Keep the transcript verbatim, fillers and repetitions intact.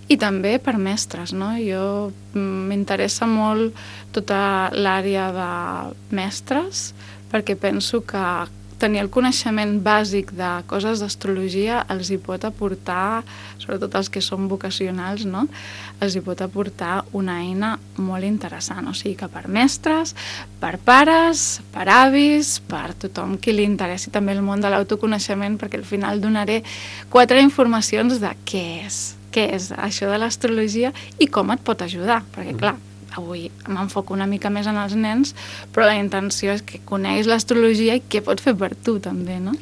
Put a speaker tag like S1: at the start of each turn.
S1: I també per mestres, no? Jo m'interessa molt tota l'àrea de mestres perquè penso que tenir el coneixement bàsic de coses d'astrologia els hi pot aportar, sobretot els que són vocacionals, no? Els hi pot aportar una eina molt interessant. O sigui que per mestres, per pares, per avis, per tothom qui li interessi també el món de l'autoconeixement, perquè al final donaré quatre informacions de què és, què és això de l'astrologia i com et pot ajudar, perquè clar, avui m'enfoco una mica més en els nens, però la intenció és que coneguis l'astrologia i què pot fer per tu també, no?